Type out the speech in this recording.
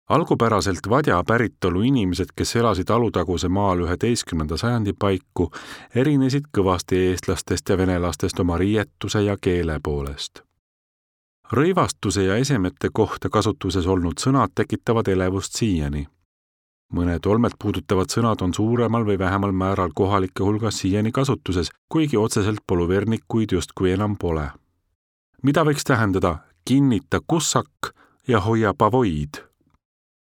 Algupäraselt Vadja päritolu inimesed, kes elasid Alutaguse maal 11. sajandi paiku, erinesid kõvasti eestlastest ja venelastest oma riietuse ja keele poolest. Rõivastuse ja esemete kohta kasutuses olnud sõnad tekitavad elevust siiani. Mõned olmet puudutavad sõnad on suuremal või vähemal määral kohalike hulgas siiani kasutuses, kuigi otseselt poluvernikuid justkui enam pole. Mida võiks tähendada kinnita kussak ja hoia pavoid?